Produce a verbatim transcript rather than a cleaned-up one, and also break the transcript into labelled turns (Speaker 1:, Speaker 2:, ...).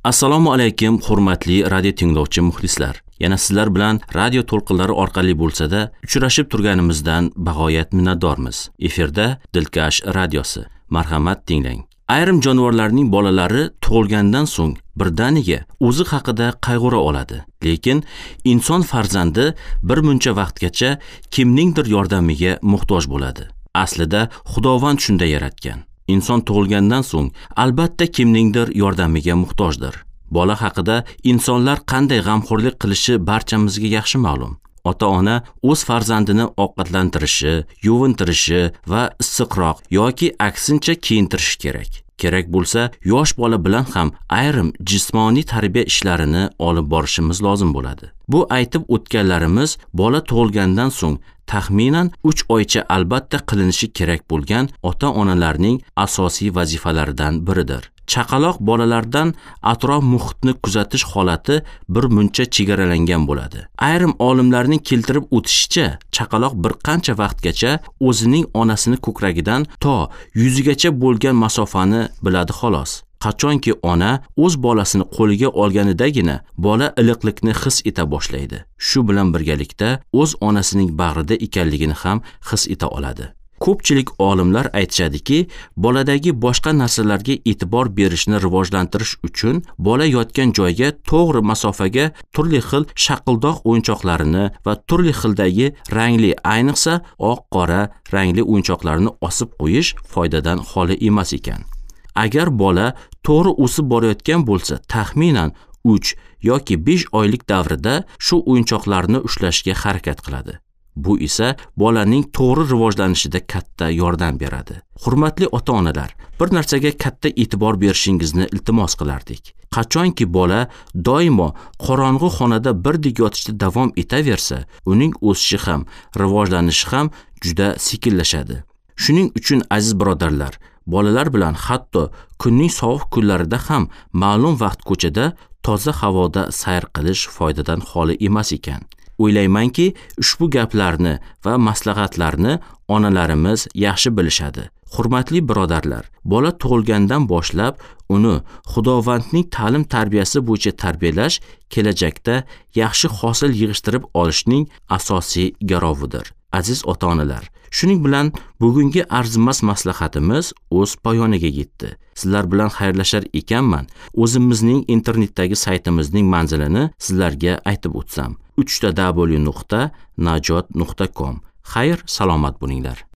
Speaker 1: Assalomu alaykum hurmatli radio tinglovchi muxlislar. Yana sizlar bilan radio to'lqinlari orqali bo'lsa-da uchrashib turganimizdan bag'oyat minnatdormiz. Efirda Dilkash radiosi. Marhamat tinglang. Ayrim jonivorlarning bolalari tug'ilgandan so'ng birdaniga o'zi haqida qayg'ura oladi. Lekin inson farzandi bir muncha vaqtgacha kimningdir yordamiga muhtoj bo'ladi. Aslida Xudovand shunday yaratgan. Inson tug'ilgandan so'ng albatta kimningdir yordamiga muhtojdir. Bola haqida insonlar qanday g'amxo'rlik qilishi barchamizga yaxshi ma'lum. Ota-ona o'z farzandini ovqatlantirishi, yuvintirishi va issiqroq yoki aksincha kiyintirishi kerak. Kerak bo'lsa, yosh bola bilan ham ayrim jismoniy tarbiya ishlarini olib borishimiz lozim bo'ladi. Bu aytib o'tganlarimiz bola tug'ilgandan so'ng taxminan uch oycha albatta qilinishi kerak bo'lgan ota-onalarning asosiy vazifalaridan biridir. Chaqaloq bolalardan atrof muhitni kuzatish holati bir muncha chegaralangan bo'ladi. Ayrim olimlarning keltirib o'tishicha, chaqaloq bir qancha vaqtgacha o'zining onasini ko'kragidan to yuzigacha bo'lgan masofani biladi xolos. Qachonki ona o'z bolasini qo'liga olganidagina bola iliqlikni his eta boshlaydi. Shu bilan birgalikda o'z onasining bag'rida ekanligini ham his eta oladi. Ko'pchilik olimlar aytishadiki, boladagi boshqa narsalarga e'tibor berishni rivojlantirish uchun bola yotgan joyga to'g'ri masofaga turli xil shaqildoq o'yinchoqlarini va turli xildagi rangli, ayniqsa oq-qora rangli o'yinchoqlarni osib qo'yish foydadan xoli emas ekan. Agar bola to'g'ri o'sib borayotgan bo'lsa, taxminan uch yoki besh oylik davrida shu o'yinchoqlarni ushlashga harakat qiladi. Bu esa bolaning to'g'ri rivojlanishida katta yordam beradi. Hurmatli ota-onalar, bir narsaga katta e'tibor berishingizni iltimos qilardik. Qachonki bola doimo qorong'u xonada birdek yotishda davom etaversa, uning o'sishi ham, rivojlanishi ham juda sekinlashadi. Shuning uchun aziz birodarlar, bolalar bilan hatto kunning sovuq kunlarida ham ma'lum vaqt ko'chada toza havoda sayr qilish foydadan xoli emas ekan. O'ylaymanki, ushbu gaplarni va maslahatlarni onalarimiz yaxshi bilishadi. Hurmatli birodarlar, bola tug'ilgandan boshlab uni Xudovandning ta'lim tarbiyasi bo'yicha tarbiyalash kelajakda yaxshi hosil yig'ishtirib olishning asosiy garovidir. Aziz ota-onalar, shuning bilan bugungi arzimas maslahatimiz o'z poyoniga yetdi. Sizlar bilan xayrlashar ekanman, o'zimizning internetdagi saytimizning manzilini sizlarga aytib o'tsam: uch ta w nuqta najot nuqta com. Xayr, salomat bo'linglar.